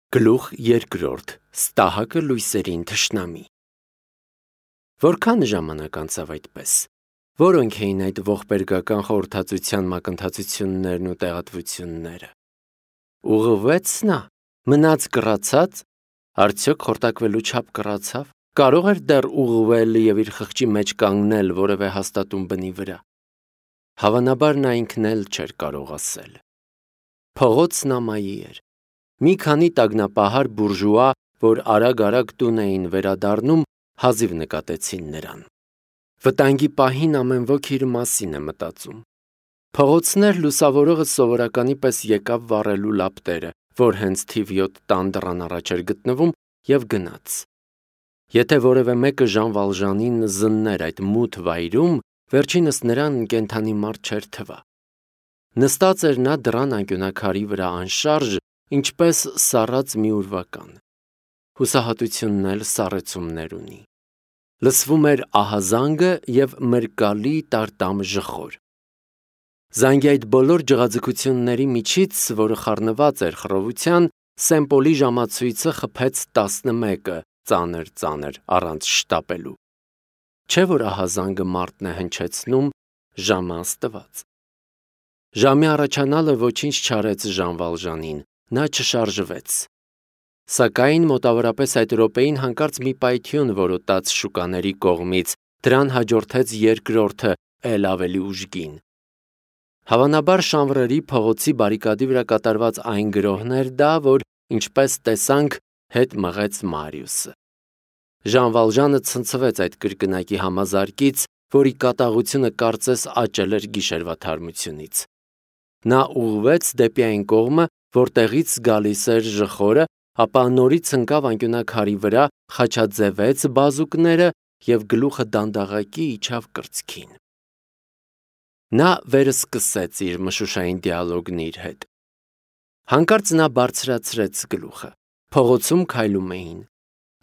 Գլուխ երկրորդ. Ստահակը լույսերին թշնամի։ Որքան ժամանակ անցավ այդպես։ Որոնք էին այդ ողբերգական խորհրդածության մակընթացություններն ու տեղատվությունները։ Ուղղվեց նա, մնաց կռացած, արդյոք խորտակվելու չափ կռացավ, կարող էր դեռ ուղղվել եւ իր խղճի մեջ կանգնել որևէ հաստատուն բնի վրա։ Հավանաբար նա ինքն էլ չէր կարող ասել։ Փողոցն ամայի էր։ Մի քանի տագնապահար բուրժուա, որ արագ-արագ տուն էին վերադառնում, հազիվ նկատեցին նրան։ Վտանգի պահին ամեն ոք իր մասին է մտածում։ Փողոցներ լուսավորողը սովորականի պես եկավ վառելու լապտերը, որ հենց թիվ 7 տան դռան առաջ էր գտնվում, եւ գնաց։ Եթե որևէ մեկը Ժան Վալժանին զններ այդ մութ վայրում, վերջինս նրան կենդանի մարդ չէր թվա։ Նստած էր նա դռան անկյունակարի վրա անշարժ, ինչպես սառած մի ուրվական։ Հուսահատությունն էլ սառեցումներ ունի։ Լսվում էր ահազանգը եւ մրկալի տարտամ ժխոր։ Զանգի այդ բոլոր ջղաձգությունների միջից, որը խառնված էր խռովության, Սեմպոլի ժամացույցը խփեց 11-ը, ծանր, առանց շտապելու։ Չէ՞ որ ահազանգը մարդն է հնչեցնում, ժամը աստված։ Ժամի առաջանալը ոչինչ չարեց Ժան Վալժանին, նա չշարժվեց։ Սակայն մոտավորապես այդ րոպեին հանկարծ մի պայթյուն որոտաց շուկաների կողմից, դրան հաջորդեց երկրորդը, էլ ավելի ուժգին։ Հավանաբար Շանվրերի փողոցի բարիկադի վրա կատարված այն գրոհն էր դա, որ, ինչպես տեսանք, հետ մղեց Մարիուսը։ Ժան Վալժանը ցնցվեց այդ կրկնակի համազարկից, որի կատաղությունը կարծես աճել էր գիշերվա թարմությունից։ Նա ուղղվեց դեպի այն կողմը, որտեղից գալիս էր ժխորը, ապա նորից ընկավ անկյունակարի վրա, խաչաձևեց բազուկները եւ գլուխը դանդաղակի իջավ կրծքին։ Նա վերսկսեց իր մշուշային դիալոգն իր հետ։ Հանկարծ նա բարձրացրեց գլուխը։ Փողոցում քայլում էին։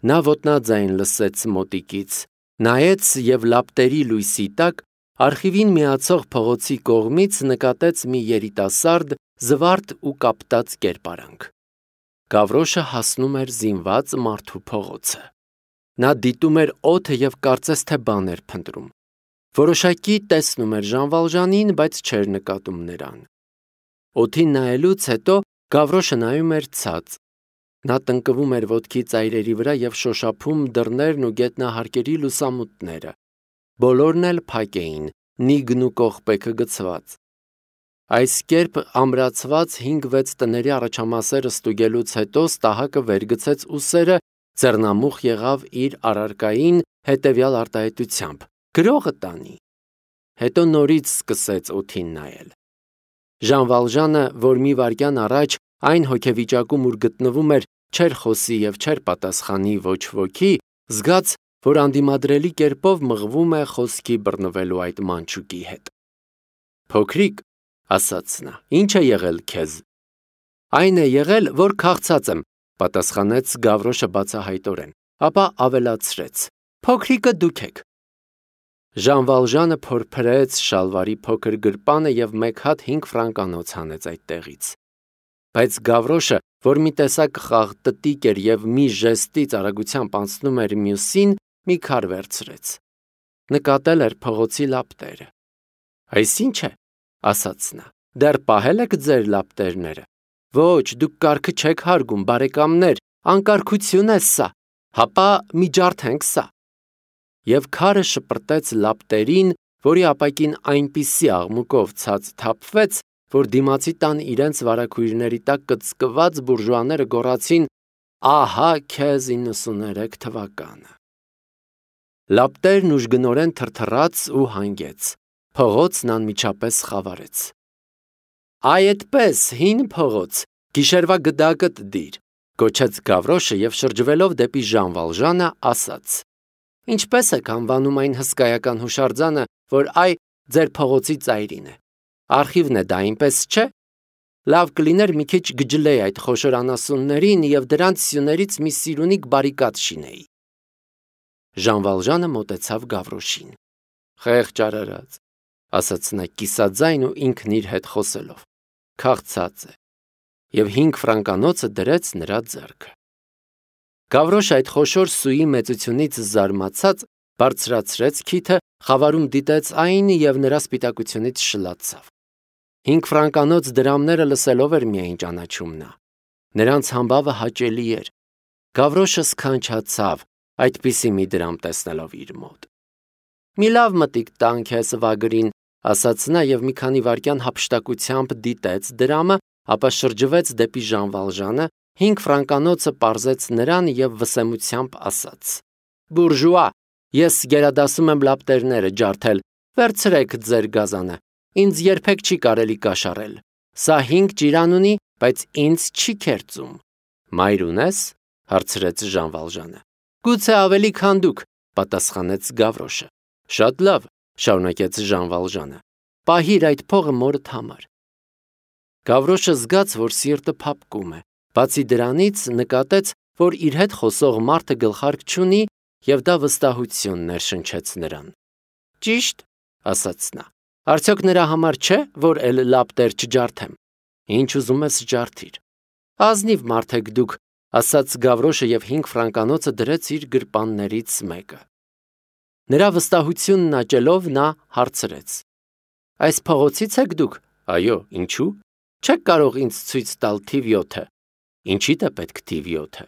Նա ոտնաձայն լսեց մոտիկից, նայեց եւ լապտերի լույսի տակ արխիվին միացող փողոցի կողմից նկատեց մի երիտասարդ, զվարթ ու կապտած կերպարանք։ Գավրոշը հասնում էր զինված մարդու փողոցը։ Նա դիտում էր օդը եւ կարծես թե բան էր փնտրում։ Որոշակի տեսնում էր Ժան Վալժանին, բայց չէր նկատում նրան։ Օդին նայելուց հետո Գավրոշը նայում էր ցած։ Նա տնկվում էր ոտքի ծայրերի վրա եւ շոշափում դռներն ու գետնահարկերի լուսամուտները։ Բոլորն էլ փակ էին, նիգն ու կողպեքը գցված։ Այս կերպ ամրացված 5-6 տների առաջամասերը ստուգելուց հետո Ստահակը վերգցեց ուսերը, ձեռնամուխ եղավ իր առարկային հետևյալ արտահայտությամբ. գրողը տանի։ Հետո նորից սկսեց օդին նայել։ Ժան Վալժանը, որ մի վայրկյան առաջ այն հոգեվիճակում ուր գտնվում էր, չէր խոսի եւ չէր պատասխանի ոչ ոքի, զգաց, որ անդիմադրելի կերպով մղվում է խոսքի բռնվելու այդ մանչուկի հետ։ Փոքրիկ, ասաց նա, ի՞նչ է եղել քեզ։ Այն է եղել, որ քաղցած եմ, պատասխանեց Գավրոշը բացահայտորեն, ապա ավելացրեց. փոքրիկը դուք եք։ Ժան Վալժանը փորփրեց շալվարի փոքր գրպանը եւ 1 հատ 5 ֆրանկանոց հանեց այդտեղից։ Բայց Գավրոշը, որ մի տեսակ խաղտտիկ էր եւ մի ժեստից արագությամբ անցնում էր մյուսին, մի քար վերցրեց։ Նկատել էր փողոցի լապտերը։ Այսինչ է, ասաց նա, դեռ պահել եք ձեր լապտերները։ Ոչ, դուք կարգը չեք հարգում, բարեկամներ, անկարգություն է սա, հապա միջարդ ենք սա։ Եվ քարը շպրտեց լապտերին, որի ապակին այնպիսի աղմուկով ցած թափվեց, որ դիմացի տան իրենց վարագույրների տակ կծկված բուրժուաները գոռացին. ահա քեզ 93 թվականը։ Լապտերն ուժգնորեն թրթռաց ու հանգեց։ Փողոցն անմիջապես խավարեց։ Այ այդպես, հին փողոց, գիշերվա գդակդ դիր, գոչեց Գավրոշը եւ շրջվելով դեպի Ժան Վալժանը ասաց. ինչպես եք անվանում այն հսկայական հուշարձանը, որ ձեր փողոցի ծայրին է։ Արխիվն է դա, այնպես չէ։ Լավ կլիներ մի քիչ գջլեի այդ խոշոր անասուններին եւ դրանց սյուներից մի սիրունիկ բարիկադ շինեի։ Ժան Վալժանը մոտեցավ Գավրոշին։ Խեղճ արարած, ասաց նա կիսաձայն ու ինքն իր հետ խոսելով։ Քաղցած է։ և 5 ֆրանկանոցը դրեց նրա ձեռքը։ Գավրոշը այդ խոշոր սուի մեծությունից զարմացած բարձրացրեց քիթը, խավարում դիտեց այն և նրա սպիտակությունից շլացավ։ 5 ֆրանկանոց դրամները լսելով էր միայն ճանաչում նա։ Նրանց համբավը հաճելի էր։ Գավրոշը սքանչացավ այդպիսի մի դրամ տեսնելով իր մոտ։ «Մի լավ մտիկ տան քեզ, վագրին», ասաց նա և մի քանի վայրկյան հափշտակությամբ դիտեց դրամը, ապա շրջվեց դեպի Ժան Վալժանը, 5 ֆրանկանոցը պարզեց նրան և վսեմությամբ ասաց. «Բուրժուա, ես գերադասում եմ լապտերները ջարդել, վերցրեք ձեր գազանը, ինձ երբեք չի կարելի կաշառել։ Սա 5 ճիրան ունի, բայց ինձ չի քերծում»։ «Մայր ունես»։ հարցրեց Ժան Վալժանը։ «Գուցե ավելի քան դուք», պատասխանեց Գավրոշը։ «Շատ լավ», շարունակեց Ժան Վալժանը, «պահիր այդ փողը մորդ համար»։ Գավրոշը զգաց, որ սիրտը փափկում է, բացի դրանից նկատեց, որ իր հետ խոսող մարդը գլխարկ չունի, և դա վստահություն ներշնչեց նրան։ «Ճիշտ», ասաց նա, «արդյոք նրա համար չէ, որ էլ լապտեր չջարդեմ»։ «Ինչ ուզում ես ջարդիր»։ «Ազնիվ մարդ եք դուք», ասաց Գավրոշը և 5 ֆրանկանոցը դրեց իր գրպաններից մեկը։ Նրա վստահությունն աճելով նա հարցրեց. «Այս փողոցի՞ց եք դուք»։ «Այո, ինչու՞։ Չեք կարող ինձ ցույց տալ թիվ 7-ը»։ «Ինչիդ է պետք թիվ 7-ը»։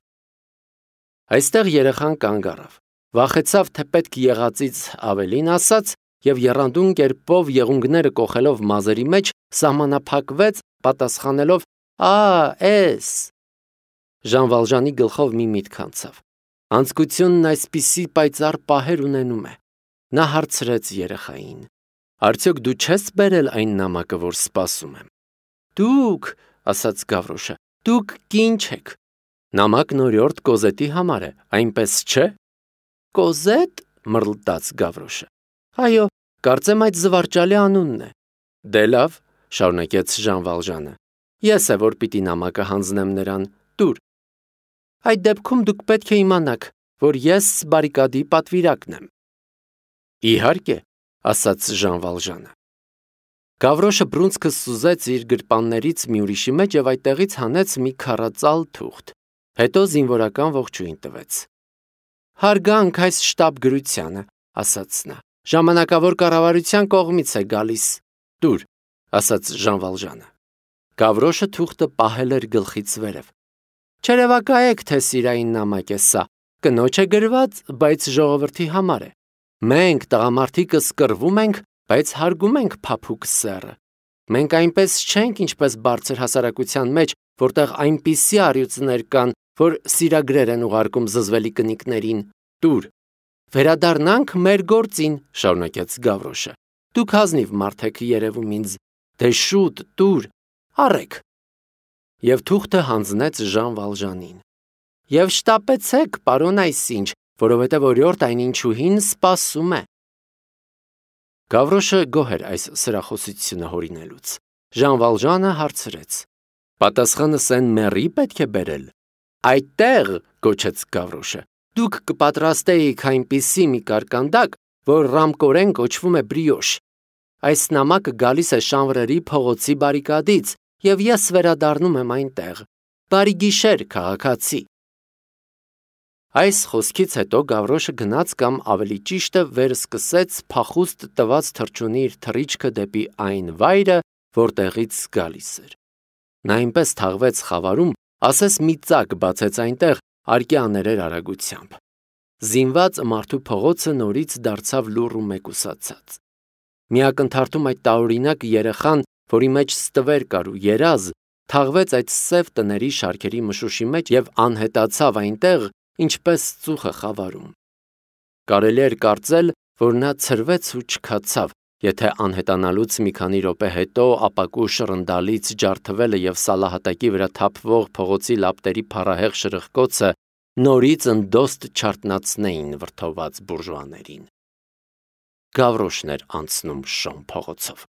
Այստեղ երեխան կանգ առավ, վախեցավ, թե պետք եղածից ավելին ասաց, և եռանդուն կերպով եղունգները կոխելով մազերի մեջ սահմանափակվեց, պատասխանելով. «Էս»։ Ժան Վալժանի գլխով մի միտք անցավ։ Անձկությունն այսպիսի պայծառ պահեր ունենում է։ Նա հարցրեց երեխային. «Արդյոք դու չես բերել այն նամակը, որ սպասում եմ»։ «Դուք», ասաց Գավրոշը, «դուք կին չեք»։ «Նամակն օրիորդ Կոզետի համար է, այնպես չէ»։ «Կոզետ», մռլտաց Գավրոշը։ «Այո, կարծեմ այդ զվարճալի անունն է»։ «Դե լավ», շարունակեց Ժան Վալժանը, «ես է, որ պիտի նամակը հանձնեմ նրան, տուր»։ «Այդ դեպքում դուք պետք է իմանաք, որ ես բարիկադի պատվիրակն եմ»։ «Իհարկե», ասաց Ժան Վալժանը։ Գավրոշը բռունցքը սուզեց իր գրպաններից մի ուրիշի մեջ և այդտեղից հանեց մի քառածալ թուղթ, հետո զինվորական ողջույն տվեց։ «Հարգանք այս շտապ գրությանը», ասաց նա, «ժամանակավոր կառավարության կողմից է գալիս»։ «Տուր», ասաց Ժան Վալժանը։ Գավրոշը թուղթը պահել էր գլխից վերև։ «Չերևակայեք, թե սիրային նամակ է սա, կնոջ է գրված, բայց ժողովրդի համար է։ Մենք, տղամարդիկս, կռվում ենք, բայց հարգում ենք փափուկ սեռը։ Մենք այնպես չենք, ինչպես բարձր հասարակության մեջ, որտեղ այնպիսի առյուծներ կան, որ սիրագրեր են ուղարկում զզվելի կնիկներին։ Տուր»։ «Վերադառնանք մեր գործին», շարունակեց Գավրոշը։ «Դուք ազնիվ մարդ եք երևում ինձ։ Դե շուտ, տուր, առեք»։ Եվ թուղթը հանձնեց Ժան Վալժանին։ «Եվ շտապեցեք, պարոն այսինչ, որովհետև օրիորդ այնինչուհին սպասում է»։ Գավրոշը գոհ էր այս սրախոսությունը հորինելուց։ Ժան Վալժանը հարցրեց. «Պատասխանը Սեն-Մերի պետք է բերել»։ «Այդտեղ», գոչեց Գավրոշը, «դուք կպատրաստեիք այնպիսի մի կարկանդակ, որ ռամկորեն կոչվում է բրիոշ։ Այս նամակը գալիս է Շանվրերի փողոցի բարիկադից, և ես վերադառնում եմ այնտեղ։ Բարի գիշեր, քաղաքացի»։ Այս խոսքից հետո Գավրոշը գնաց կամ ավելի ճիշտը վերսկսեց փախուստ տված թռչունի իր թռիչքը դեպի այն վայրը, որտեղից գալիս էր։ Նա այնպես թաղվեց խավարում, ասես մի ծակ բացեց այնտեղ արկի աներեր արագությամբ։ Զինված մարդու փողոցը նորից դարձավ լուռ ու մեկուսացած։ Մի ակնթարթում այդ տարօրինակ երեխան, որի մեջ ստվեր կար ու երազ, թաղվեց այդ սև տների շարքերի մշուշի մեջ և անհետացավ այնտեղ, ինչպես ծուխը խավարում։ Կարելի էր կարծել, որ նա ցրվեց ու չքացավ, եթե անհետանալուց մի քանի րոպե հետո ապակու շռնդալից ջարդվելը և սալահատակի վրա թափվող փողոցի լապտերի փառահեղ շրխկոցը նորից ընդոստ չարթնացնեին վրդոված բուրժուաներին։ Գավրոշն էր անցնում Շոն փողոցով։